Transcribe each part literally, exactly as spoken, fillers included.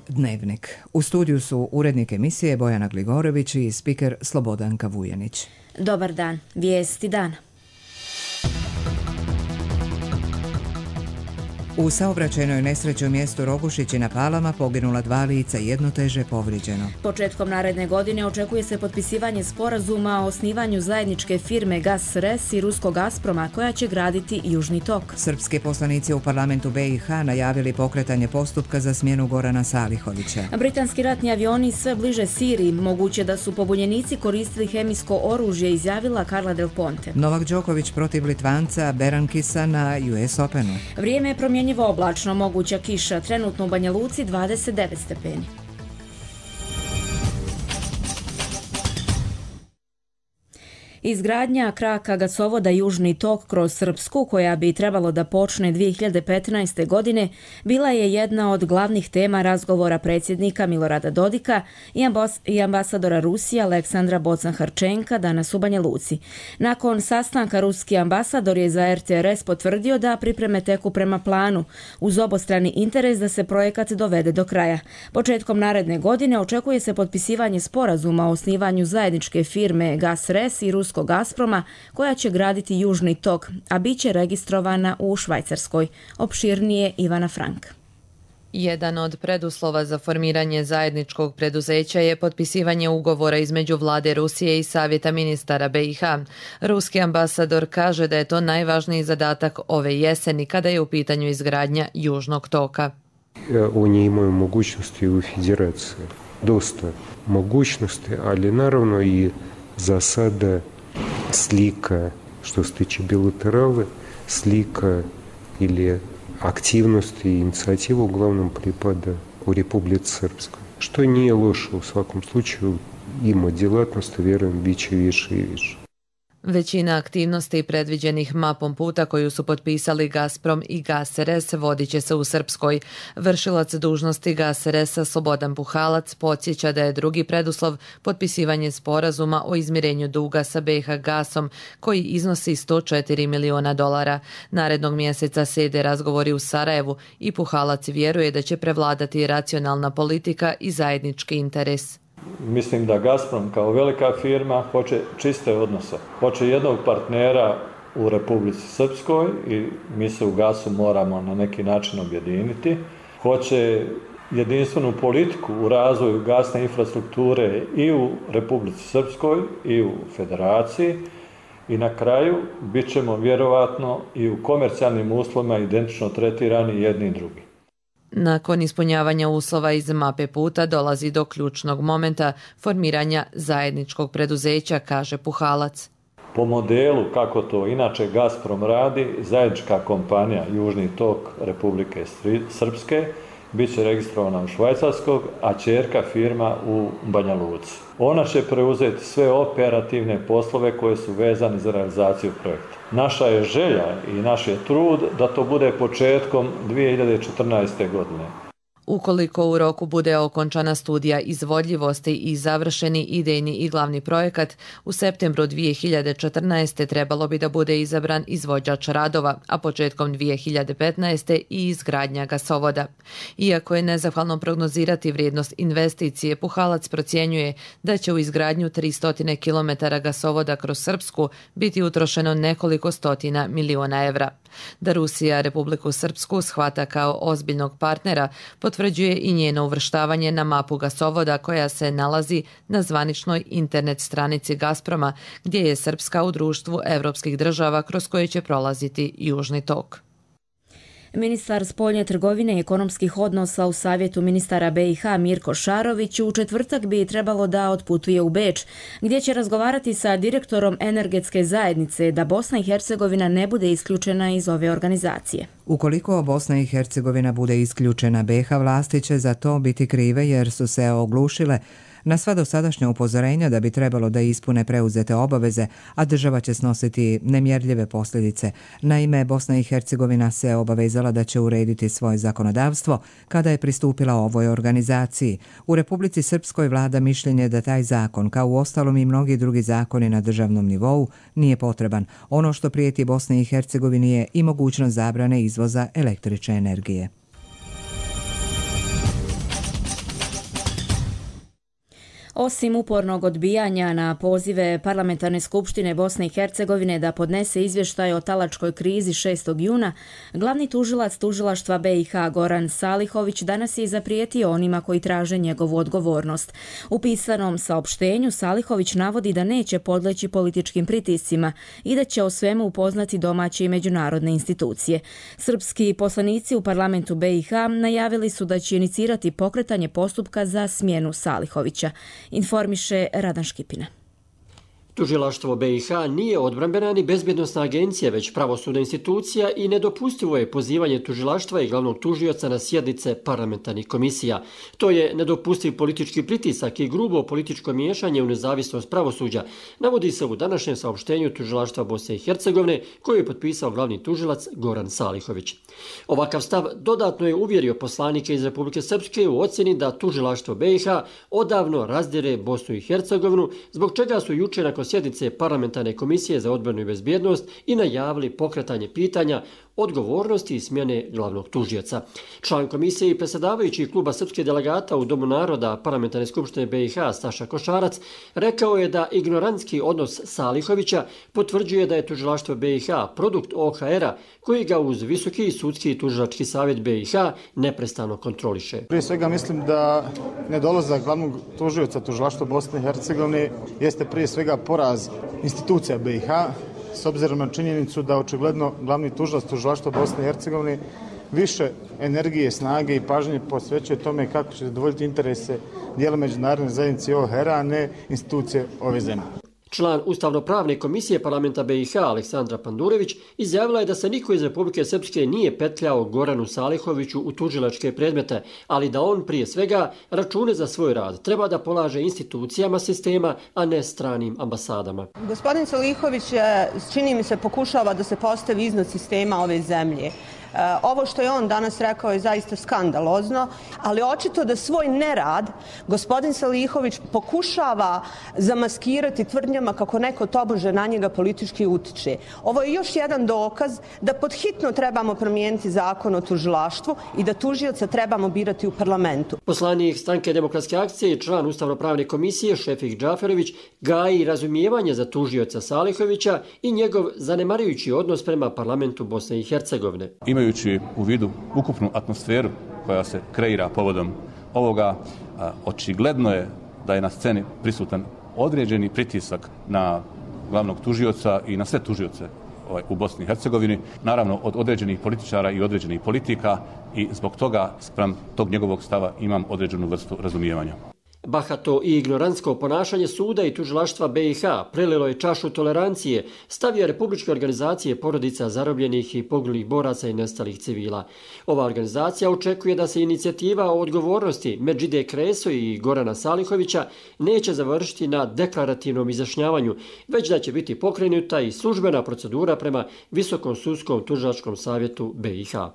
Dnevnik. U studiju su urednik emisije Bojana Gligorović i spiker Slobodanka Vujanić. Dobar dan. Vijesti dana. U saobraćajnoj nesreći u mjestu Rogušići na Palama poginula dva lica, jedno teže povrijeđeno. Početkom naredne godine očekuje se potpisivanje sporazuma o osnivanju zajedničke firme Gas R E S i ruskog Gazproma koja će graditi Južni tok. Srpski poslanici u parlamentu B i H najavili pokretanje postupka za smjenu Gorana Salihovića. Britanski ratni avioni sve bliže Siriji, moguće da su pobunjenici koristili hemijsko oružje, izjavila Carla Del Ponte. Novak Đoković protiv Litvanca Berankisa na U S Openu. Vrijeme je promjenjivo oblačno, moguća kiša, trenutno u Banja Luci dvadeset devet stepeni. Izgradnja kraka gasovoda Južni tok kroz Srpsku, koja bi trebalo da počne dvije hiljade petnaeste. godine, bila je jedna od glavnih tema razgovora predsjednika Milorada Dodika i, ambas- i ambasadora Rusije Aleksandra Bocan-Harčenka danas u Banja Luci. Nakon sastanka ruski ambasador je za R T R S potvrdio da pripreme teku prema planu, uz obostrani interes da se projekat dovede do kraja. Početkom naredne godine očekuje se potpisivanje sporazuma o osnivanju zajedničke firme Gas R E S i ruskog Gazproma koja će graditi Južni tok, a bit će registrovana u Švajcarskoj. Opširnije Ivana Frank. Jedan od preduslova za formiranje zajedničkog preduzeća je potpisivanje ugovora između vlade Rusije i Savjeta ministara B i H. Ruski ambasador kaže da je to najvažniji zadatak ove jeseni kada je u pitanju izgradnja Južnog toka. Oni imaju mogućnosti u federaciji, dosta mogućnosti, ali naravno i za sada slika, što se tiče bilaterale, slika ili aktivnosti i inicijativa uglavnom pripada u Republici Srpskoj. Što nije loše u svakom slučaju, ima djelatnosti, vjerujem, bit će više i više. Većina aktivnosti predviđenih mapom puta koju su potpisali Gazprom i Gas R E S vodit će se u Srpskoj. Vršilac dužnosti Gas R E S-a Slobodan Puhalac podsjeća da je drugi preduslov potpisivanje sporazuma o izmirenju duga sa B i H gasom koji iznosi sto četiri miliona dolara. Narednog mjeseca slijede razgovori u Sarajevu i Puhalac vjeruje da će prevladati racionalna politika i zajednički interes. Mislim da Gazprom kao velika firma hoće čiste odnose. Hoće jednog partnera u Republici Srpskoj i mi se u gasu moramo na neki način objediniti. Hoće jedinstvenu politiku u razvoju gasne infrastrukture i u Republici Srpskoj i u Federaciji. I na kraju bit ćemo vjerovatno i u komercijalnim uslovima identično tretirani jedni i drugi. Nakon ispunjavanja uslova iz mape puta dolazi do ključnog momenta formiranja zajedničkog preduzeća, kaže Puhalac. Po modelu kako to inače Gazprom radi, zajednička kompanija Južni tok Republike Srpske bit će registrovana u Švajcarskog, a ćerka firma u Banja Luci. Ona će preuzeti sve operativne poslove koje su vezane za realizaciju projekta. Naša je želja i naš je trud da to bude početkom dvije hiljade četrnaeste. godine. Ukoliko u roku bude okončana studija izvodljivosti i završeni idejni i glavni projekat, u septembru dvije hiljade četrnaeste. trebalo bi da bude izabran izvođač radova, a početkom dvije hiljade petnaeste. i izgradnja gasovoda. Iako je nezahvalno prognozirati vrijednost investicije, Puhalac procjenjuje da će u izgradnju tristo kilometara gasovoda kroz Srpsku biti utrošeno nekoliko stotina miliona evra. Da Rusija Republiku Srpsku shvata kao ozbiljnog partnera potvrđuje i njeno uvrštavanje na mapu gasovoda koja se nalazi na zvaničnoj internet stranici Gazproma, gdje je Srpska u društvu evropskih država kroz koje će prolaziti Južni tok. Ministar spoljne trgovine i ekonomskih odnosa u Savjetu ministara B i H Mirko Šarović u četvrtak bi trebalo da otputuje u Beč, gdje će razgovarati sa direktorom energetske zajednice da Bosna i Hercegovina ne bude isključena iz ove organizacije. Ukoliko Bosna i Hercegovina bude isključena, B i H vlasti će za to biti krive jer su se oglušile na sva dosadašnja upozorenja da bi trebalo da ispune preuzete obaveze, a država će snositi nemjerljive posljedice. Naime, Bosna i Hercegovina se obavezala da će urediti svoje zakonodavstvo kada je pristupila ovoj organizaciji. U Republici Srpskoj vlada mišljenje da taj zakon, kao u ostalom i mnogi drugi zakoni na državnom nivou, nije potreban. Ono što prijeti Bosni i Hercegovini je i mogućnost zabrane izvoza električne energije. Osim upornog odbijanja na pozive Parlamentarne skupštine Bosne i Hercegovine da podnese izvještaj o talačkoj krizi šestog juna, glavni tužilac tužilaštva be i ha Goran Salihović danas je zaprijetio onima koji traže njegovu odgovornost. U pisanom saopštenju Salihović navodi da neće podleći političkim pritiscima i da će o svemu upoznati domaće i međunarodne institucije. Srpski poslanici u parlamentu be i ha najavili su da će inicirati pokretanje postupka za smjenu Salihovića. Informiše Radan Škipina. Tužilaštvo be i ha nije odbrambena ni bezbjednosna agencija, već pravosudna institucija i nedopustivo je pozivanje tužilaštva i glavnog tužioca na sjednice parlamentarnih komisija. To je nedopustiv politički pritisak i grubo političko miješanje u nezavisnost pravosuđa, navodi se u današnjem saopštenju tužilaštva Bosne i Hercegovine koju je potpisao glavni tužilac Goran Salihović. Ovakav stav dodatno je uvjerio poslanike iz Republike Srpske u ocjeni da tužilaštvo be i ha odavno razdire Bosnu i Hercegovinu, zbog čega su jučer nakon sjednice Parlamentarne komisije za odbranu i bezbjednost i najavili pokretanje pitanja odgovornosti i smjene glavnog tužioca. Član komisije i predsjedavajući kluba srpske delegata u Domu naroda Parlamentarne skupštine be i ha Staša Košarac rekao je da ignorantski odnos Salihovića potvrđuje da je tužilaštvo be i ha produkt o ha era koji ga uz Visoki sudski i tužilački savjet be i ha neprestano kontroliše. Prije svega mislim da nedolazak glavnog tužioca tužilaštva Bosne i Hercegovine jeste prije svega poraz institucija be i ha, s obzirom na činjenicu da očigledno glavni tužilac tužilaštva Bosne i Hercegovine više energije, snage i pažnje posvećuje tome kako će zadovoljiti interese dijela međunarodne zajednice o ha era, a ne institucije ove zemlje. Član Ustavno-pravne komisije parlamenta be i ha Aleksandra Pandurević izjavila je da se niko iz Republike Srpske nije petljao Goranu Salihoviću u tužilačke predmete, ali da on prije svega račune za svoj rad treba da polaže institucijama sistema, a ne stranim ambasadama. Gospodin Salihović, čini mi se, pokušava da se postavi iznad sistema ove zemlje. Ovo što je on danas rekao je zaista skandalozno, ali očito da svoj nerad gospodin Salihović pokušava zamaskirati tvrdnjama kako neko tobože na njega politički utiče. Ovo je još jedan dokaz da podhitno trebamo promijeniti zakon o tužilaštvu i da tužioca trebamo birati u parlamentu. Poslanik Stranke demokratske akcije i član Ustavno-pravne komisije Šefik Džaferović gaji razumijevanje za tužioca Salihovića i njegov zanemarujući odnos prema parlamentu Bosne i Hercegovine. Imajući u vidu ukupnu atmosferu koja se kreira povodom ovoga, očigledno je da je na sceni prisutan određeni pritisak na glavnog tužioca i na sve tužioce u Bosni i Hercegovini, naravno od određenih političara i određenih politika, i zbog toga spram tog njegovog stava imam određenu vrstu razumijevanja. Bahato i ignorantsko ponašanje suda i tužilaštva be i ha prelilo je čašu tolerancije, stavio republičke organizacije porodica zarobljenih i poginulih boraca i nestalih civila. Ova organizacija očekuje da se inicijativa o odgovornosti Medžide Kreso i Gorana Salihovića neće završiti na deklarativnom izjašnjavanju, već da će biti pokrenuta i službena procedura prema Visokom sudskom tužilačkom savjetu be i ha.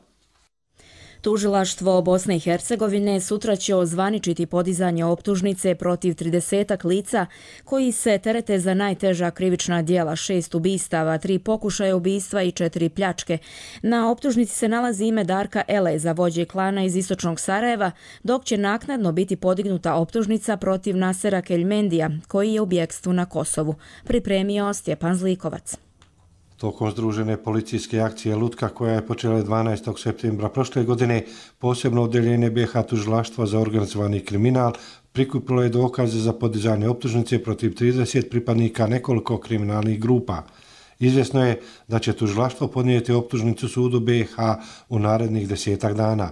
Tužilaštvo Bosne i Hercegovine sutra će ozvaničiti podizanje optužnice protiv tridesetak lica koji se terete za najteža krivična djela, šest ubistava, tri pokušaja ubistva i četiri pljačke. Na optužnici se nalazi ime Darka Eleza, vođe klana iz istočnog Sarajeva, dok će naknadno biti podignuta optužnica protiv Nasera Keljmendija, koji je u bjekstvu na Kosovu. Pripremio Stjepan Zlikovac. Tokom združene policijske akcije Lutka, koja je počela dvanaestog septembra prošle godine, posebno odeljenje be ha tužilaštva za organizovani kriminal prikupilo je dokaze za podizanje optužnice protiv trideset pripadnika nekoliko kriminalnih grupa. Izvjesno je da će tužilaštvo podnijeti optužnicu sudu be ha u narednih desetak dana.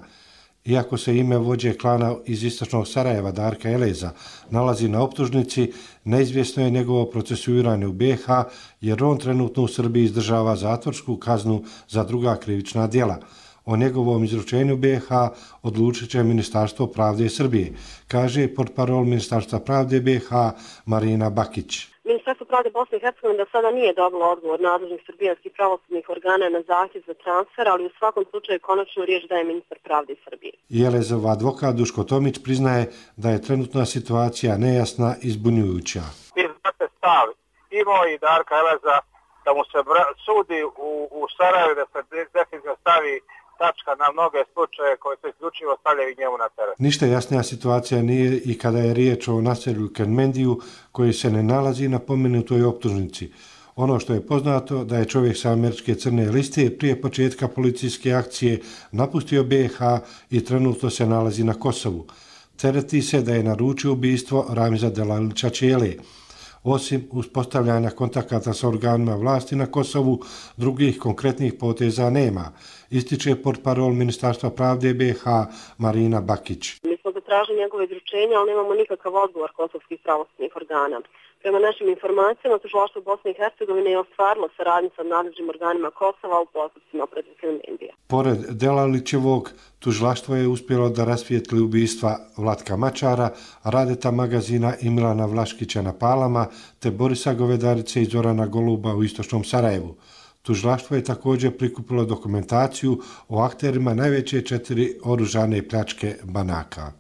Iako se ime vođe klana iz istočnog Sarajeva Darka Eleza nalazi na optužnici, neizvjesno je njegovo procesuiranje u be ha, jer on trenutno u Srbiji izdržava zatvorsku kaznu za druga krivična djela. O njegovom izručenju be ha odlučit će Ministarstvo pravde Srbije, kaže portparol Ministarstva pravde be ha Marina Bakić. Ministarstvo pravde Bosne i Hercegovine do sada nije dobilo odgovor nadležnih srbijanskih pravosudnih organa na zahtjev za transfer, ali u svakom slučaju konačnu riječ daje ministar pravde Srbije. Jelezov advokat Duško Tomić priznaje da je trenutna situacija nejasna i zbunjujuća. Vi znate stav i moj i Darka Eleza da mu se sudi u, u Sarajevu, da se definitivno stavi tačka na mnoge slučaje koje se isključivo stavljaju njemu na teret. Ništa jasnija situacija nije i kada je riječ o naselju Kermendiju koji se ne nalazi na pomenutoj optužnici. Ono što je poznato da je čovjek sa američke crne liste prije početka policijske akcije napustio B i H i trenutno se nalazi na Kosovu. Tereti se da je naručio ubistvo Ramiza Delalića Čele. Osim uspostavljanja kontakata sa organima vlasti na Kosovu, drugih konkretnih poteza nema, ističe portparol Ministarstva pravde B i H Marina Bakić. Mi smo zatražili njegove izručenja, ali nemamo nikakav odgovor kosovskih pravosudnih organa. Prema našim informacijama, tužilaštvo Bosne i Hercegovine je ostvarilo saradnju sa nadležnim organima Kosova u postupcima protiv Kermendija. Pored Delalićevog, tužilaštvo je uspjelo da rasvijetli ubistva Vlatka Mačara, Radeta Magazina i Milana Vlaškića na Palama, te Borisa Govedarice i Zorana Goluba u istočnom Sarajevu. Tužilaštvo je također prikupilo dokumentaciju o akterima najveće četiri oružane pljačke banaka.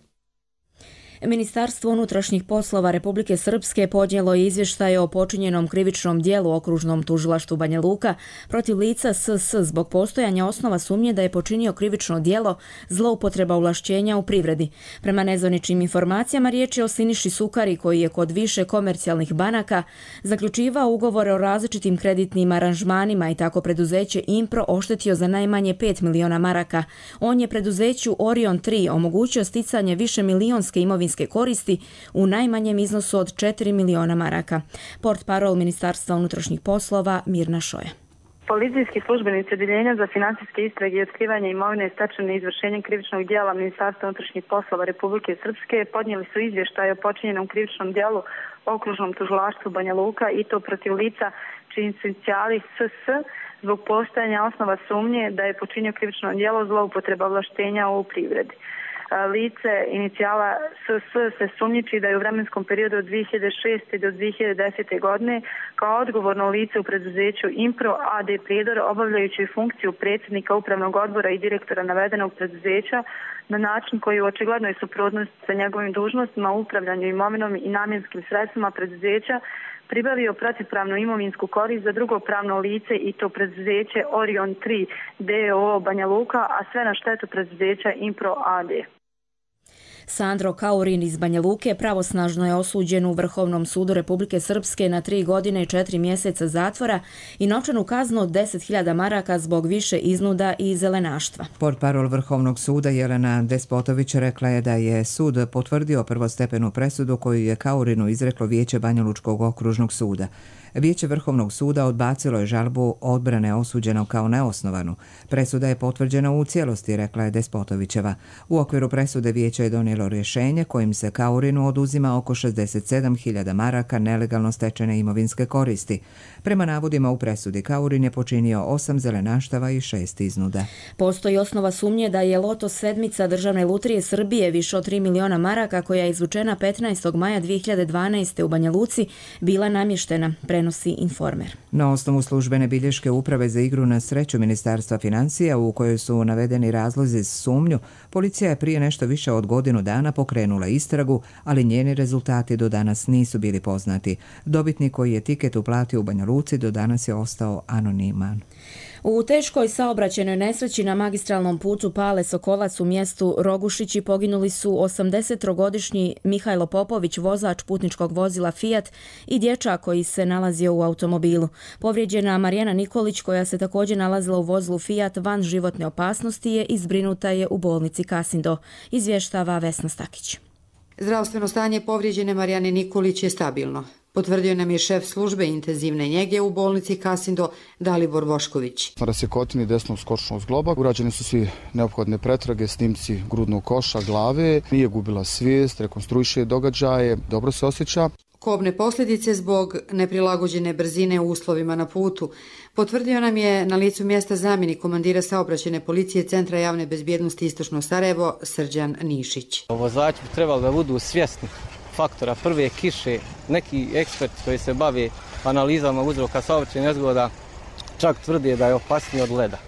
Ministarstvo unutrašnjih poslova Republike Srpske podnijelo je izvještaj o počinjenom krivičnom dijelu okružnom tužilaštvu Banja Luka protiv lica S S zbog postojanja osnova sumnje da je počinio krivično djelo zloupotreba ovlašćenja u privredi. Prema nezvaničnim informacijama riječ je o Siniši Sukari koji je kod više komercijalnih banaka zaključivao ugovore o različitim kreditnim aranžmanima i tako preduzeće Impro oštetio za najmanje pet miliona maraka. On je preduzeću Orion tri omogućio sticanje više milionske imovinske koristi u najmanjem iznosu od četiri miliona maraka. Portparol Ministarstva unutrašnjih poslova Mirna Šoja. Policijski službenici Odjeljenja za financijske istrage i otkrivanje imovine stečene izvršenjem krivičnog djela Ministarstva unutrašnjih poslova Republike Srpske podnijeli su izvještaj o počinjenom krivičnom djelu okružnom tužilaštvu Banja Luka i to protiv lica čiji su inicijali S S zbog postojanja osnova sumnje da je počinio krivično djelo zloupotreba ovlaštenja u privredi. Lice inicijala S S se sumnjiči da je u vremenskom periodu od dvije hiljade šeste do dvije hiljade desete. godine kao odgovorno lice u preduzeću Impro A D Prijedor obavljajući funkciju predsjednika upravnog odbora i direktora navedenog preduzeća na način koji je u očiglednoj suprotnosti sa njegovim dužnostima u upravljanju imovinom i namjenskim sredstvima preduzeća pribavio protivpravnu imovinsku korist za drugo pravno lice i to preduzeće Orion tri D O O Banja Luka, a sve na štetu preduzeća Impro A D. Sandro Kaurin iz Banja Luke pravosnažno je osuđen u Vrhovnom sudu Republike Srpske na tri godine i četiri mjeseca zatvora i novčanu kaznu od deset hiljada maraka zbog više iznuda i zelenaštva. Portparol Vrhovnog suda Jelena Despotović rekla je da je sud potvrdio prvostepenu presudu koju je Kaurinu izreklo Vijeće Banja Lučkog okružnog suda. Vijeće Vrhovnog suda odbacilo je žalbu odbrane osuđenog kao neosnovanu. Presuda je potvrđena u cijelosti, rekla je Despotovićeva. U okviru presude vijeće je donijelo rješenje kojim se Kaurinu oduzima oko šezdeset sedam hiljada maraka nelegalno stečene imovinske koristi. Prema navodima u presudi Kaurin je počinio osam zelenaštava i šest iznuda. Postoji osnova sumnje da je loto sedmica Državne lutrije Srbije više od tri miliona maraka koja je izvučena petnaestog maja dvije hiljade dvanaeste. u Banja Luci bila namještena, prenosi Informer. Na osnovu službene bilješke Uprave za igru na sreću Ministarstva financija u kojoj su navedeni razlozi za sumnju, policija je prije nešto više od godinu dana pokrenula istragu, ali njeni rezultati do danas nisu bili poznati. Dobitnik koji je tiket uplatio u Banja Luci do danas je ostao anoniman. U teškoj saobraćajnoj nesreći na magistralnom putu Pale Sokolac u mjestu Rogušići poginuli su osamdesettrogodišnji Mihajlo Popović, vozač putničkog vozila Fiat i dječak koji se nalazio u automobilu. Povrijeđena Marijana Nikolić, koja se također nalazila u vozilu Fiat van životne opasnosti, je i zbrinuta je u bolnici Kasindo, izvještava Vesna Stakić. Zdravstveno stanje povrijeđene Marijane Nikolić je stabilno. Potvrdio nam je šef službe intenzivne njege u bolnici Kasindo Dalibor Bošković. Na rasjekotini desnog skočnog zgloba urađene su svi neophodne pretrage, snimci grudnog koša, glave, nije gubila svijest, rekonstruiše događaje, dobro se osjeća. Kobne posljedice zbog neprilagođene brzine u uslovima na putu. Potvrdio nam je na licu mjesta zamjenik komandira saobraćajne policije Centra javne bezbjednosti Istočno Sarajevo Srđan Nišić. Vozači bi trebali da budu svjesni faktora prve kiše. Neki eksperti koji se bave analizama uzroka saobraćajnih nezgoda čak tvrde da je opasniji od leda.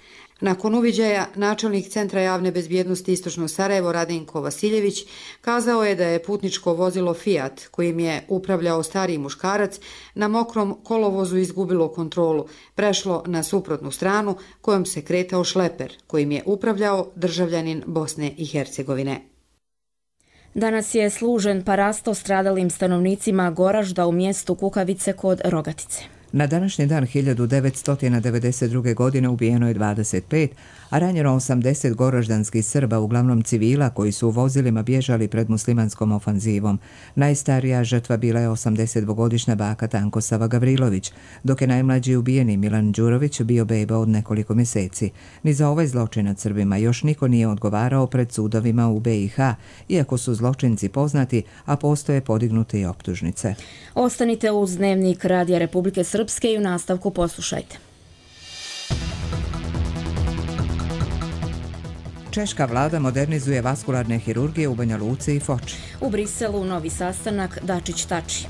Nakon uviđaja, načelnik Centra javne bezbjednosti Istočno Sarajevo Radenko Vasiljević kazao je da je putničko vozilo Fiat, kojim je upravljao stariji muškarac, na mokrom kolovozu izgubilo kontrolu, prešlo na suprotnu stranu kojom se kretao šleper, kojim je upravljao državljanin Bosne i Hercegovine. Danas je služen parasto stradalim stanovnicima Goražda u mjestu Kukavice kod Rogatice. Na današnji dan hiljadu devetsto devedeset druge. godine ubijeno je dvadeset pet, a ranjeno osamdeset goraždanskih Srba, uglavnom civila, koji su u vozilima bježali pred muslimanskom ofanzivom. Najstarija žrtva bila je osamdesetdvogodišnja baka Tankosava Gavrilović, dok je najmlađi ubijeni Milan Đurović bio beba od nekoliko mjeseci. Ni za ovaj zločin nad Srbima još niko nije odgovarao pred sudovima u B i H, iako su zločinci poznati, a postoje podignute i optužnice. Ostanite uz Dnevnik Radija Republike Srpske i u nastavku poslušajte. Češka vlada modernizuje vaskularne hirurgije u Banja Luci i Foči. U Briselu novi sastanak Dačić-Tači.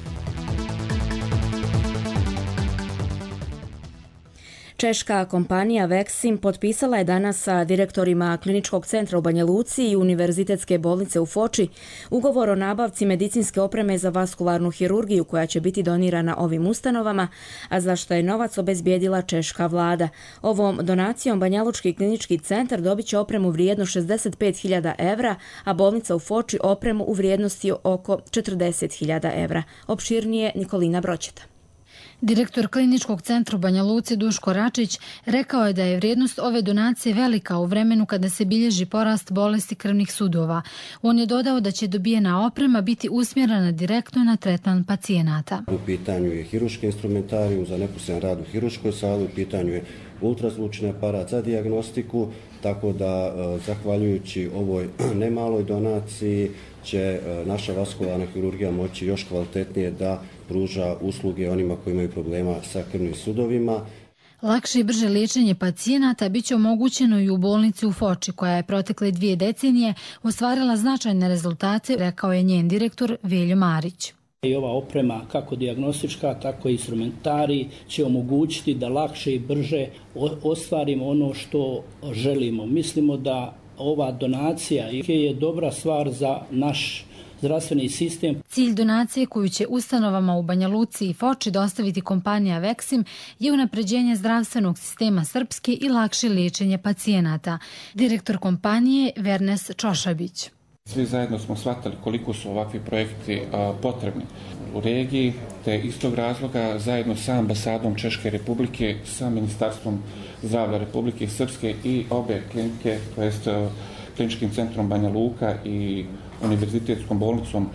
Češka kompanija Veksim potpisala je danas sa direktorima Kliničkog centra u Banja Luci i Univerzitetske bolnice u Foči ugovor o nabavci medicinske opreme za vaskularnu hirurgiju koja će biti donirana ovim ustanovama, a za što je novac obezbijedila češka vlada. Ovom donacijom Banjalučki klinički centar dobit će opremu vrijedno šezdeset pet hiljada evra, a bolnica u Foči opremu u vrijednosti oko četrdeset hiljada evra. Opširnije Nikolina Broćeta. Direktor Kliničkog centra u Banja Luci Duško Račić rekao je da je vrijednost ove donacije velika u vremenu kada se bilježi porast bolesti krvnih sudova. On je dodao da će dobijena oprema biti usmjerena direktno na tretman pacijenata. U pitanju je hiruški instrumentarij za neposredan rad u hiruškoj sali, u pitanju je ultrazvučni aparat za dijagnostiku, tako da zahvaljujući ovoj nemaloj donaciji će naša vaskularna hirurgija moći još kvalitetnije da pruža usluge onima koji imaju problema sa krvnim sudovima. Lakše i brže liječenje pacijenata bit će omogućeno i u bolnici u Foči, koja je protekle dvije decenije ostvarila značajne rezultate, rekao je njen direktor Veljo Marić. I ova oprema, kako dijagnostička, tako i instrumentari, će omogućiti da lakše i brže ostvarimo ono što želimo. Mislimo da ova donacija je dobra stvar za naš zdravstveni sistem. Cilj donacije koju će ustanovama u Banja Luci i Foči dostaviti kompanija Veksim je unapređenje zdravstvenog sistema Srpske i lakše liječenje pacijenata. Direktor kompanije Vernes Čošabić. Svi zajedno smo shvatili koliko su ovakvi projekti a, potrebni u regiji, te iz tog razloga zajedno sa ambasadom Češke republike, sa Ministarstvom zdravlja Republike Srpske i obe klinike, to jest Kliničkim centrom Banja Luka i Univerzitetskom bolnicom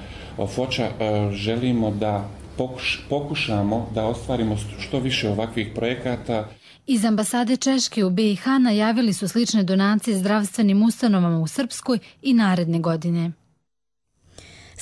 Foča, želimo da pokuš, pokušamo da ostvarimo što više ovakvih projekata. Iz ambasade Češke u B i H najavili su slične donacije zdravstvenim ustanovama u Srpskoj i naredne godine.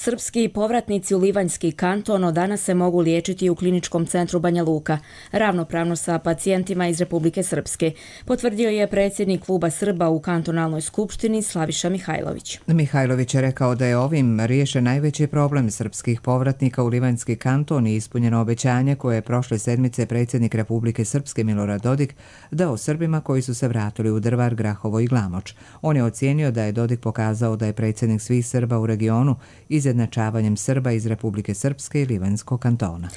Srpski povratnici u Livanjski kanton od danas se mogu liječiti u Kliničkom centru Banja Luka, ravnopravno sa pacijentima iz Republike Srpske, potvrdio je predsjednik kluba Srba u kantonalnoj skupštini Slaviša Mihajlović. Mihajlović je rekao da je ovim riješen najveći problem srpskih povratnika u Livanjski kanton i ispunjeno obećanje koje je prošle sedmice predsjednik Republike Srpske Milorad Dodik dao Srbima koji su se vratili u Drvar, Grahovo i Glamoč. On je ocijenio da je Dodik pokazao da je predsjednik svih Srba u regionu izjednačavanjem Srba iz Republike Srpske i Livanjskog kantona.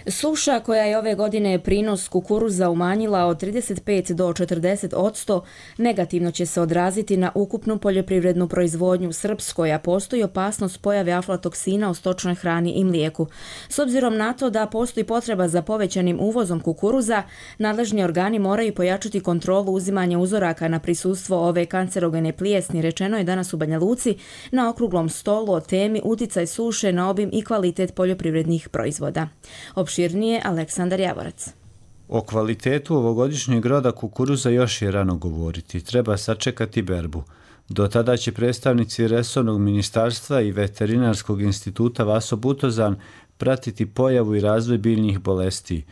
Suša koja je ove godine prinos kukuruza umanjila od trideset pet do četrdeset odsto negativno će se odraziti na ukupnu poljoprivrednu proizvodnju u Srpskoj, a postoji opasnost pojave aflatoksina u stočnoj hrani i mlijeku. S obzirom na to da postoji potreba za povećanim uvozom kukuruza, nadležni organi moraju pojačati kontrolu uzimanja uzoraka na prisustvo ove kancerogene plijesni, rečeno je danas u Banja Luci na okruglom stolu o temi uticaj suše na obim i kvalitet poljoprivrednih proizvoda. Opširnije Aleksandar Javorac. O kvalitetu ovogodišnjeg roda kukuruza još je rano govoriti. Treba sačekati berbu. Do tada će predstavnici resornog ministarstva i veterinarskog instituta Vaso Butozan pratiti pojavu i razvoj biljnih bolesti.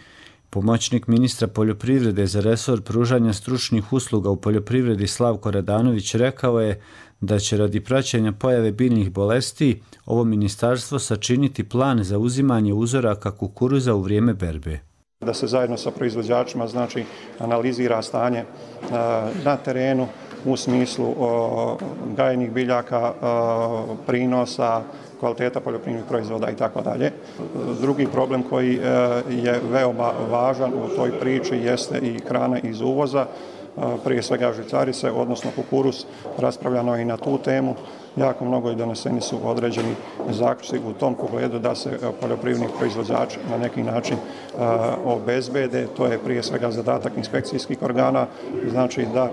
Pomoćnik ministra poljoprivrede za resor pružanja stručnih usluga u poljoprivredi Slavko Radanović rekao je da će radi praćenja pojave biljnih bolesti ovo ministarstvo sačiniti plan za uzimanje uzoraka kukuruza u vrijeme berbe. Da se zajedno sa proizvođačima znači analizira stanje na terenu u smislu gajenih biljaka, prinosa, kvaliteta poljoprivrednih proizvoda i tako dalje. Drugi problem koji je veoma važan u toj priči jeste i hrana iz uvoza, prije svega žitarice, odnosno kukuruz, raspravljano i na tu temu. Jako mnogo i doneseni su određeni zaključci u tom pogledu da se poljoprivredni proizvođači na neki način obezbede. To je prije svega zadatak inspekcijskih organa, znači da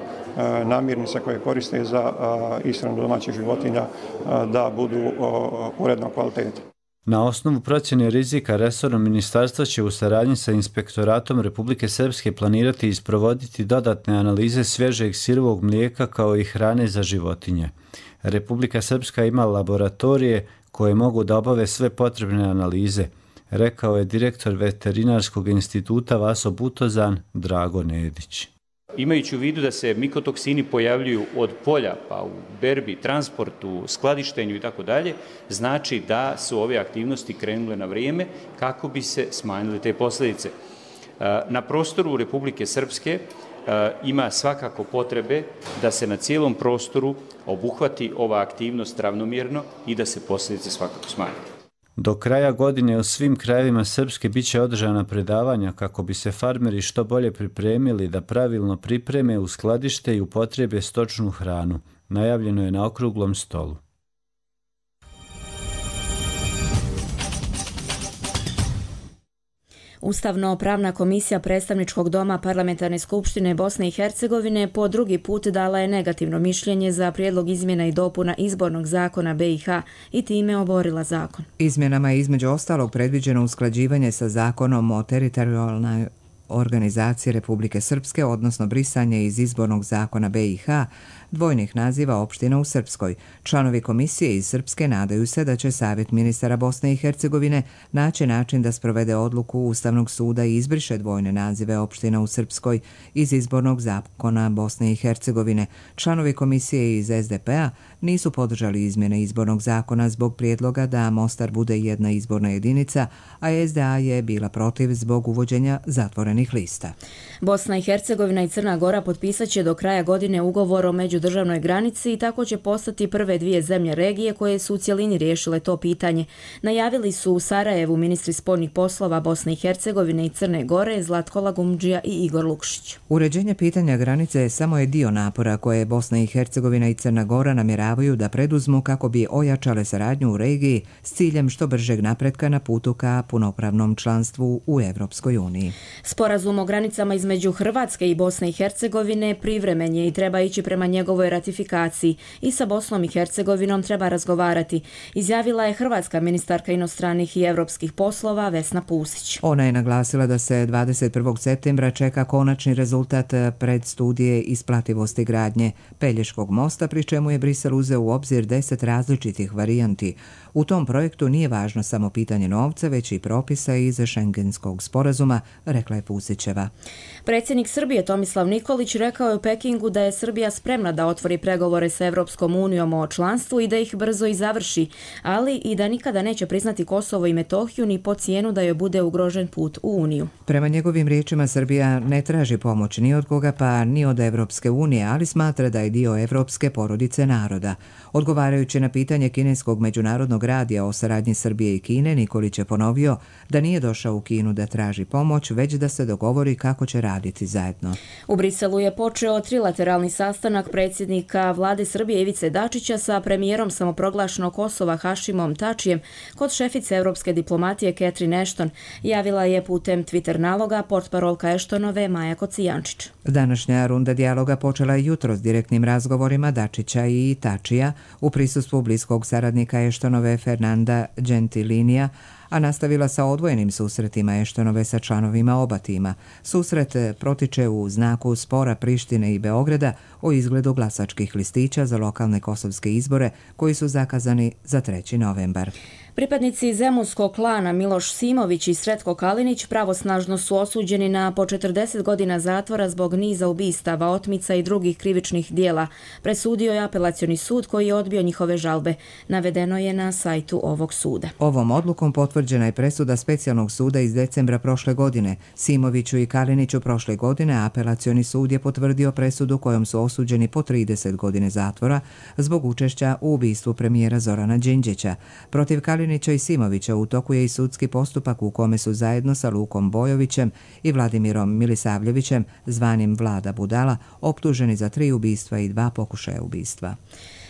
namirnice koje koriste za ishranu domaćih životinja da budu uredno kvalitete. Na osnovu procjene rizika resorno ministarstvo će u saradnji sa Inspektoratom Republike Srpske planirati i isprovoditi dodatne analize svježeg sirovog mlijeka kao i hrane za životinje. Republika Srpska ima laboratorije koje mogu da obave sve potrebne analize, rekao je direktor Veterinarskog instituta Vaso Butozan Drago Nedić. Imajući u vidu da se mikotoksini pojavljuju od polja pa u berbi, transportu, skladištenju i tako dalje, znači da su ove aktivnosti krenule na vrijeme kako bi se smanjile te posljedice. Na prostoru Republike Srpske ima svakako potrebe da se na cijelom prostoru obuhvati ova aktivnost ravnomjerno i da se posljedice svakako smanje. Do kraja godine u svim krajevima Srpske bit će održana predavanja kako bi se farmeri što bolje pripremili da pravilno pripreme, uskladište i upotrebe stočnu hranu. Najavljeno je na okruglom stolu. Ustavno-pravna komisija Predstavničkog doma Parlamentarne skupštine Bosne i Hercegovine po drugi put dala je negativno mišljenje za prijedlog izmjena i dopuna izbornog zakona B i H i time oborila zakon. Izmjenama je između ostalog predviđeno usklađivanje sa zakonom o teritorijalnoj organizaciji Republike Srpske, odnosno brisanje iz izbornog zakona B i H dvojnih naziva opština u Srpskoj. Članovi komisije iz Srpske nadaju se da će Savjet ministara Bosne i Hercegovine naći način da sprovede odluku Ustavnog suda i izbriše dvojne nazive opština u Srpskoj iz izbornog zakona Bosne i Hercegovine. Članovi komisije iz S D P-a nisu podržali izmjene izbornog zakona zbog prijedloga da Mostar bude jedna izborna jedinica, a S D A je bila protiv zbog uvođenja zatvorenih lista. Bosna i Hercegovina i Crna Gora potpisat će do kraja godine ugovor o međudržavnoj granici i tako će postati prve dvije zemlje regije koje su u cjelini riješile to pitanje. Najavili su u Sarajevu ministri spoljnih poslova Bosne i Hercegovine i Crne Gore Zlatko Lagumdžija i Igor Lukšić. Uređenje pitanja granice samo je dio napora koje Bosna i Hercegovina i Crna Gora namjeravaju da preduzmu kako bi ojačale saradnju u regiji s ciljem što bržeg napretka na putu ka punopravnom članstvu u Evropskoj uniji. Sporazum o granicama između Hrvatske i Bosne i Hercegovine privremen je i treba ići prema njegovoj ratifikaciji i sa Bosnom i Hercegovinom treba razgovarati, izjavila je hrvatska ministarka inostranih i evropskih poslova Vesna Pusić. Ona je naglasila da se dvadeset prvog septembra čeka konačni rezultat predstudije isplativosti gradnje Pelješkog mosta, pri čemu je Brisel uzeo u obzir deset različitih varijanti. U tom projektu nije važno samo pitanje novca, već i propisa iz Šengenskog sporazuma, rekla je Pusićeva. Predsjednik Srbije Tomislav Nikolić rekao je u Pekingu da je Srbija spremna da otvori pregovore sa Evropskom unijom o članstvu i da ih brzo i završi, ali i da nikada neće priznati Kosovo i Metohiju ni po cijenu da joj bude ugrožen put u Uniju. Prema njegovim riječima Srbija ne traži pomoć ni od koga pa ni od Evropske unije, ali smatra da je dio evropske porodice naroda. Odgovarajući na pitanje kineskog međunarodnog radija o saradnji Srbije i Kine, Nikolić je ponovio da nije došao u Kinu da traži pomoć, već da se dogovori kako će raditi zajedno. U Briselu je počeo trilateralni sastanak predsjednika vlade Srbije Ivice Dačića sa premijerom samoproglašenog Kosova Hašimom Tačijem kod šefice evropske diplomatije Catherine Ashton, javila je putem Twitter naloga portparolka Ashtonove Maja Kocijančić. Današnja runda dijaloga počela je jutro s direktnim razgovorima Dačića i Tačija u prisustvu bliskog saradnika Ashtonove Fernanda Gentilinija, a nastavila sa odvojenim susretima Ashtonove sa članovima oba tima. Susret protiče u znaku spora Prištine i Beograda o izgledu glasačkih listića za lokalne kosovske izbore koji su zakazani za treći novembar. Pripadnici zemunskog klana Miloš Simović i Sretko Kalinić pravosnažno su osuđeni na po četrdeset godina zatvora zbog niza ubistava, otmica i drugih krivičnih dijela. Presudio je apelacioni sud koji je odbio njihove žalbe. Navedeno je na sajtu ovog suda. Ovom odlukom potvrđena je presuda specijalnog suda iz decembra prošle godine. Simoviću i Kaliniću prošle godine apelacioni sud je potvrdio presudu kojom su osuđeni po trideset godine zatvora zbog učešća u ubistvu premijera Zorana Đinđića. Protiv Kalinića i Simovića u toku je i sudski postupak u kome su zajedno sa Lukom Bojovićem i Vladimirom Milisavljevićem, zvanim Vlada Budala, optuženi za tri ubistva i dva pokušaja ubistva.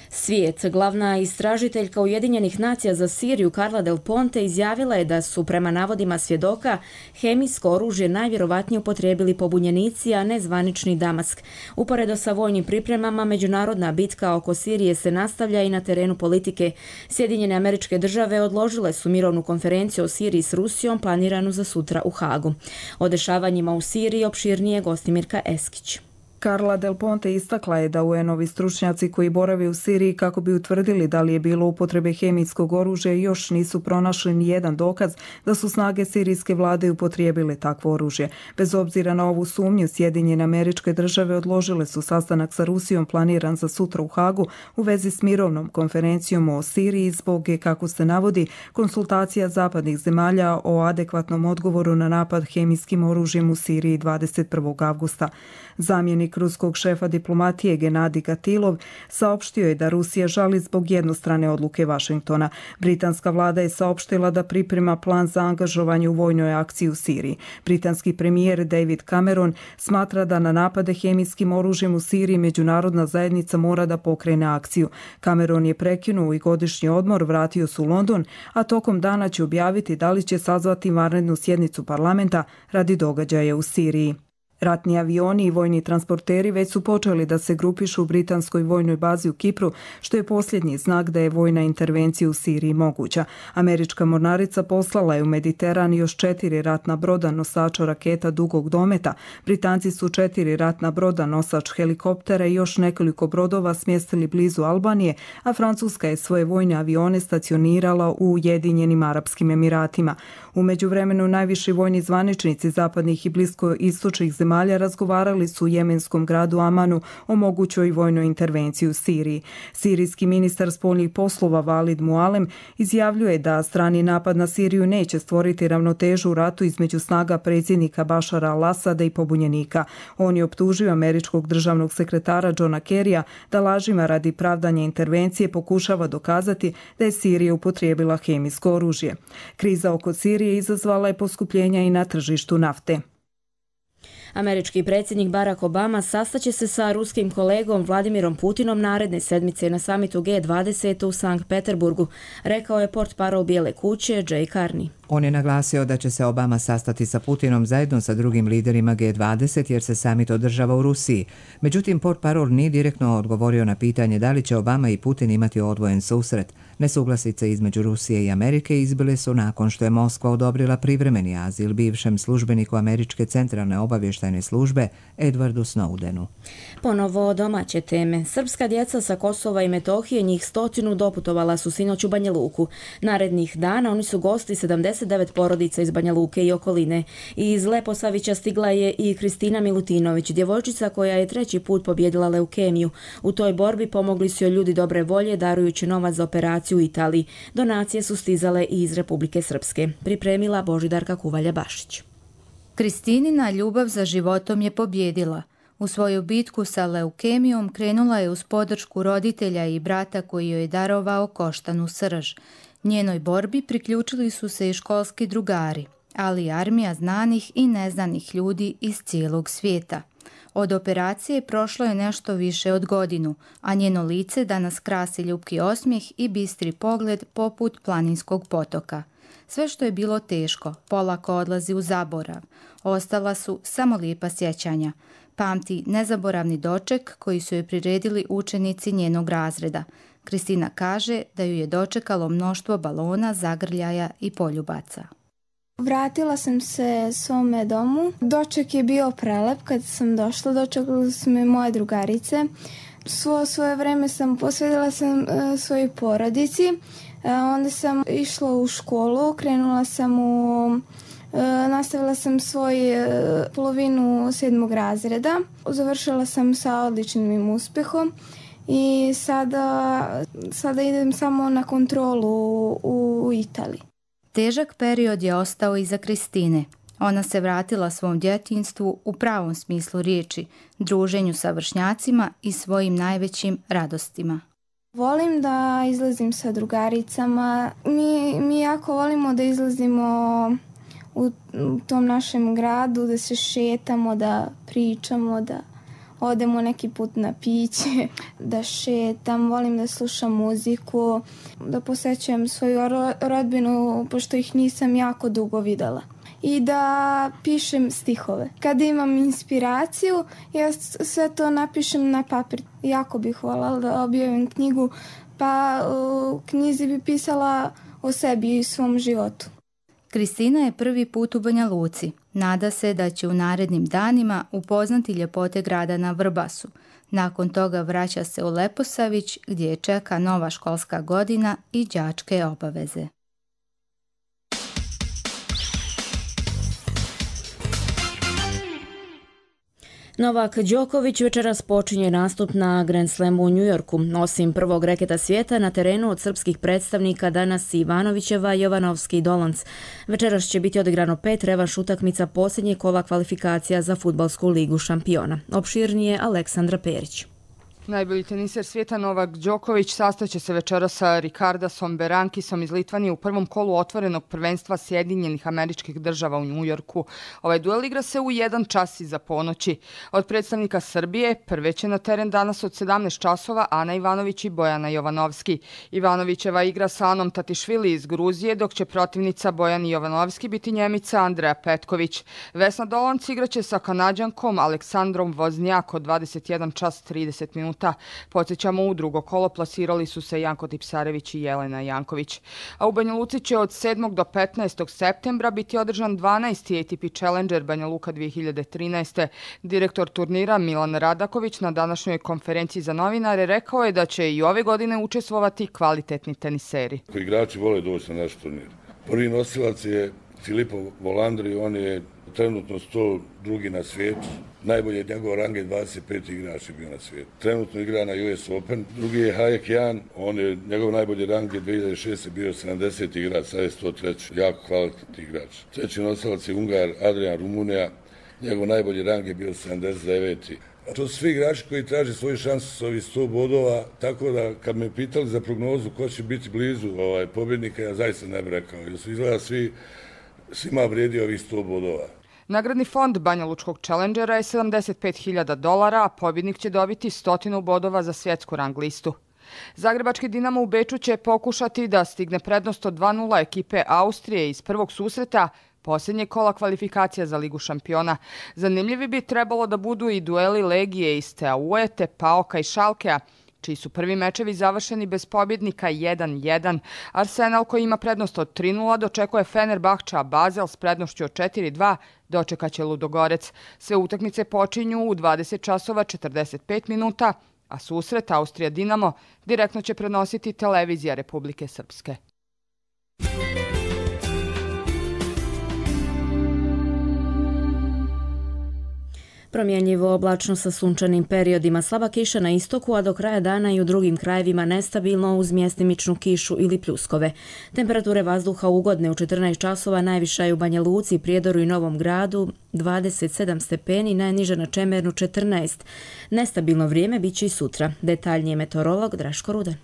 Svijet, glavna istražiteljka Ujedinjenih nacija za Siriju Carla Del Ponte izjavila je da su prema navodima svjedoka hemijsko oružje najvjerovatnije upotrijebili pobunjenici, a ne zvanični Damask. Uporedo sa vojnim pripremama, međunarodna bitka oko Sirije se nastavlja i na terenu politike. Sjedinjene Američke Države odložile su mirovnu konferenciju o Siriji s Rusijom planiranu za sutra u Hagu. O dešavanjima u Siriji opširnije Gostimirka Eskić. Carla Del Ponte istakla je da U N-ovi stručnjaci koji borave u Siriji kako bi utvrdili da li je bilo upotrebe hemijskog oružja još nisu pronašli ni jedan dokaz da su snage sirijske vlade upotrijebile takvo oružje. Bez obzira na ovu sumnju, Sjedinjene Američke Države odložile su sastanak sa Rusijom planiran za sutra u Hagu u vezi s mirovnom konferencijom o Siriji zbog, kako se navodi, konsultacija zapadnih zemalja o adekvatnom odgovoru na napad hemijskim oružjem u Siriji dvadeset prvog avgusta. Zamjenik ruskog šefa diplomatije Genadij Gatilov saopštio je da Rusija žali zbog jednostrane odluke Vašingtona. Britanska vlada je saopštila da priprema plan za angažovanje u vojnoj akciji u Siriji. Britanski premijer David Cameron smatra da na napade hemijskim oružjem u Siriji međunarodna zajednica mora da pokrene akciju. Cameron je prekinuo i godišnji odmor, vratio se u London, a tokom dana će objaviti da li će sazvati vanrednu sjednicu parlamenta radi događaja u Siriji. Ratni avioni i vojni transporteri već su počeli da se grupišu u britanskoj vojnoj bazi u Kipru, što je posljednji znak da je vojna intervencija u Siriji moguća. Američka mornarica poslala je u Mediteran još četiri ratna broda nosača raketa dugog dometa. Britanci su četiri ratna broda nosač helikoptera i još nekoliko brodova smjestili blizu Albanije, a Francuska je svoje vojne avione stacionirala u Ujedinjenim Arapskim Emiratima. U međuvremenu najviši vojni zvaničnici zapadnih i bliskoistočnih zemalja razgovarali su u jemenskom gradu Amanu o mogućoj vojnoj intervenciji u Siriji. Sirijski ministar spoljnih poslova Valid Mualem izjavljuje da strani napad na Siriju neće stvoriti ravnotežu u ratu između snaga predsjednika Bašara al-Asada i pobunjenika. On je optužio američkog državnog sekretara Johna Kerrya da lažima radi pravdanja intervencije pokušava dokazati da je Sirija upotrijebila hemijsko oružje. Kriza oko Sirije izazvala je poskupljenja i na tržištu nafte. Američki predsjednik Barack Obama sastaće se sa ruskim kolegom Vladimirom Putinom naredne sedmice na samitu G dvadeset u Sankt Peterburgu, rekao je portparol Bijele kuće Jay Carney. On je naglasio da će se Obama sastati sa Putinom zajedno sa drugim liderima G dvadeset jer se samit održava u Rusiji. Međutim, portparol nije direktno odgovorio na pitanje da li će Obama i Putin imati odvojen susret. Nesuglasice između Rusije i Amerike izbile su nakon što je Moskva odobrila privremeni azil bivšem službeniku Američke centralne obavještajne službe Edwardu Snowdenu. Ponovo domaće teme. Srpska djeca sa Kosova i Metohije, njih stotinu, doputovala su sinoć u Banja Luku. Narednih dana oni su gosti sedamdeset devet porodica iz Banja Luke i okoline. I iz Leposavića stigla je i Kristina Milutinović, djevojčica koja je treći put pobjedila leukemiju. U toj borbi pomogli su joj ljudi dobre volje, darujući novac za operaciju u Italiji. Donacije su stizale i iz Republike Srpske. Pripremila Božidarka Kuvalja-Bašić. Kristinina ljubav za životom je pobjedila. U svoju bitku sa leukemijom krenula je uz podršku roditelja i brata koji joj je darovao koštanu srž. Njenoj borbi priključili su se i školski drugari, ali i armija znanih i neznanih ljudi iz cijelog svijeta. Od operacije prošlo je nešto više od godinu, a njeno lice danas krasi ljubki osmijeh i bistri pogled poput planinskog potoka. Sve što je bilo teško, polako odlazi u zaborav. Ostala su samo lijepa sjećanja. Pamti nezaboravni doček koji su joj priredili učenici njenog razreda. Kristina kaže da ju je dočekalo mnoštvo balona, zagrljaja i poljubaca. Vratila sam se svome domu. Doček je bio prelep. Kad sam došla, dočekali su me moje drugarice. Svo svoje vreme sam posvetila sam uh, svojoj porodici. Onda sam išla u školu, krenula sam u... Nastavila sam svoju polovinu sedmog razreda. Završila sam sa odličnim uspjehom i sada, sada idem samo na kontrolu u Italiji. Težak period je ostao iza Kristine. Ona se vratila svom djetinjstvu u pravom smislu riječi, druženju sa vršnjacima i svojim najvećim radostima. Volim da izlazim sa drugaricama. Mi, mi jako volimo da izlazimo u tom našem gradu, da se šetamo, da pričamo, da odemo neki put na piće, da šetam, volim da slušam muziku, da posećujem svoju rodbinu, pošto ih nisam jako dugo videla. I da pišem stihove. Kada imam inspiraciju, ja sve to napišem na papir. Jako bih voljela da objavim knjigu, pa u knjizi bi pisala o sebi i svom životu. Kristina je prvi put u Banja Luci. Nada se da će u narednim danima upoznati ljepote grada na Vrbasu. Nakon toga vraća se u Leposavić gdje je čeka nova školska godina i đačke obaveze. Novak Đoković večeras počinje nastup na Grand Slamu u Njujorku. Osim prvog reketa svijeta, na terenu od srpskih predstavnika danas Ivanovićeva, Jovanovski i Dolanc. Večeras će biti odigrano pet revanš utakmica posljednje kola kvalifikacija za fudbalsku ligu šampiona. Opširnije Aleksandra Perić. Najbolji teniser svijeta Novak Đoković sastaće se večera sa Ricardasom Berankisom iz Litvanije u prvom kolu otvorenog prvenstva Sjedinjenih Američkih Država u Njujorku. Ovaj duel igra se u jedan čas iza ponoći. Od predstavnika Srbije prve će na teren danas od sedamnaest časova Ana Ivanović i Bojana Jovanovski. Ivanovićeva igra sa Anom Tatišvili iz Gruzije, dok će protivnica Bojani Jovanovski biti Njemica Andreja Petković. Vesna Dolanc igraće sa Kanađankom Aleksandrom Voznjak od dvadeset jedan čas trideset minuta. Podsjećamo, u drugo kolo plasirali su se Janko Tipsarević i Jelena Janković. A u Banja Luci će od sedmog do petnaestog septembra biti održan dvanaesti A T P Challenger Banja Luka dvije hiljade trinaeste. Direktor turnira Milan Radaković na današnjoj konferenciji za novinare rekao je da će i ove godine učestvovati kvalitetni teniseri. Igrači vole doći na naš turnir. Prvi nosilac je Filippo Volandri, on je trenutno sto drugi na svijetu. Najbolje njegov rang je dvadeset peti igrač bio na svijetu. Trenutno igra na U S Open. Drugi je Hayek Jan, on je, njegov najbolji rang je dvije hiljade šeste bio sedamdeseti igrač, sad je sto treći. Jako kvalitetni igrač. Treći nosilac je Ungar Adrian Rumunija, njegov najbolji rang je bio sedamdeset deveti. To su svi igrači koji traže svoju šansu s ovih sto bodova, tako da kad me pitali za prognozu ko će biti blizu ovaj, pobjednika, ja zaista ne bih rekao. Jer su izgleda svi, svima vrijedi ovih sto bodova. Nagradni fond Banja Lučkog Challengera je sedamdeset pet hiljada dolara, a pobjednik će dobiti stotinu bodova za svjetsku rang listu. Zagrebački Dinamo u Beču će pokušati da stigne prednost od dva nula ekipe Austrije iz prvog susreta posljednje kola kvalifikacija za Ligu šampiona. Zanimljivi bi trebalo da budu i dueli Legije iz Steaue, te Paoka i Šalkea, čiji su prvi mečevi završeni bez pobjednika jedan jedan. Arsenal, koji ima prednost od tri nula, dočekuje Fenerbahča, a Basel s prednošću od četiri dva dočekaće Ludogorec. Sve utakmice počinju u dvadeset časova četrdeset pet minuta, a susret Austrija Dinamo direktno će prenositi televizija Republike Srpske. Promjenjivo oblačno sa sunčanim periodima, slaba kiša na istoku, a do kraja dana i u drugim krajevima nestabilno uz mjestimičnu kišu ili pljuskove. Temperature vazduha ugodne u četrnaest časova, najviša je u Banja Luci, Prijedoru i Novom Gradu dvadeset sedam stepeni, najniža na Čemernu četrnaest. Nestabilno vrijeme bit će i sutra. Detaljnije meteorolog Draško Rudan.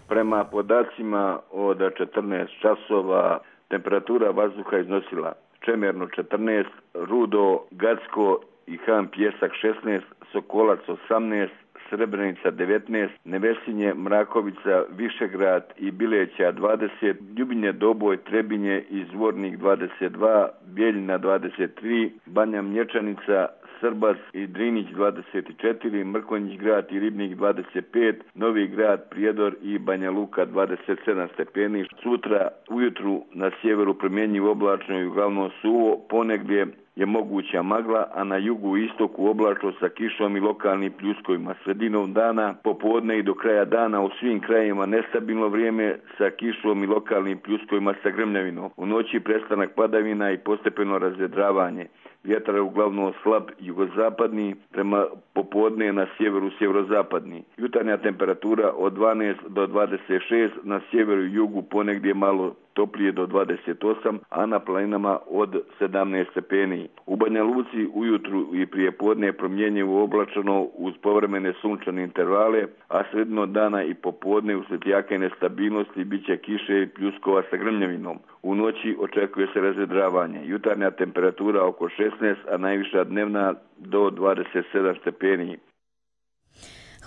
Prema podacima od četrnaest časova temperatura vazduha iznosila Čemernu četrnaest, Rudo, Gacko i Han Pjesak šesnaest, Sokolac osamnaest, Srebrenica devetnaest, Nevesinje, Mrakovica, Višegrad i Bileća dvadeset, Ljubinje, Doboj, Trebinje i Zvornik dvadeset dva, Bijeljina dvadeset tri, Banja Mlječanica, Srbas i Drinić dvadeset četiri, Mrkonjić grad i Ribnik dvadeset pet, Novi grad, Prijedor i Banja Luka dvadeset sedam stepeni. Sutra ujutru na sjeveru promjenjivo oblačno i uglavnom suvo, ponegdje je moguća magla, a na jugu i istoku oblačno sa kišom i lokalnim pljuskovima. Sredinom dana, popodne i do kraja dana u svim krajevima nestabilno vrijeme sa kišom i lokalnim pljuskovima sa grmljavinom. U noći prestanak padavina i postepeno razvedravanje. Vjetar je uglavnom slab jugozapadni, prema popodne na sjeveru sjeverozapadni. Jutarnja temperatura od dvanaest do dvadeset šest, na sjeveru i jugu ponegdje malo toplije do dvadeset osam, a na planinama od sedamnaest stepeni. U Banja Luci ujutru i prije podne je promjenjivo oblačano uz povremene sunčane intervale, a sredinom dana i popodne uslijed jake nestabilnosti bit će kiše i pljuskova sa grmljavinom. U noći očekuje se razvedravanje. Jutarnja temperatura oko šesnaest, a najviša dnevna do dvadeset sedam stepeni.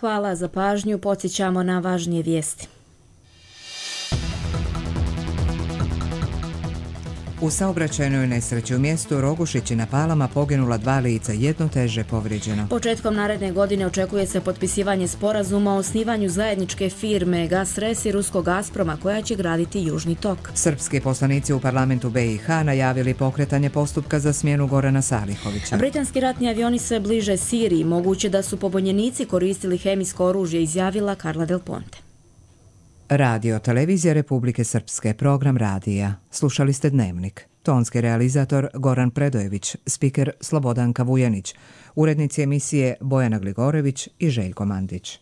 Hvala za pažnju, podsjećamo na važnije vijesti. U saobraćajnoj nesreći u mjestu Rogušići na Palama poginula dva lica, jedno teže povrijeđeno. Početkom naredne godine očekuje se potpisivanje sporazuma o osnivanju zajedničke firme Gasres i ruskog Gazproma koja će graditi Južni tok. Srpski poslanici u parlamentu B i H najavili pokretanje postupka za smjenu Gorana Salihovića. Britanski ratni avioni se bliže Siriji, moguće da su pobunjenici koristili hemijsko oružje, izjavila Carla Del Ponte. Radio Televizija Republike Srpske, program radija. Slušali ste Dnevnik. Tonski realizator Goran Predojević, spiker Slobodanka Vujanić, urednici emisije Bojana Gligorević i Željko Mandić.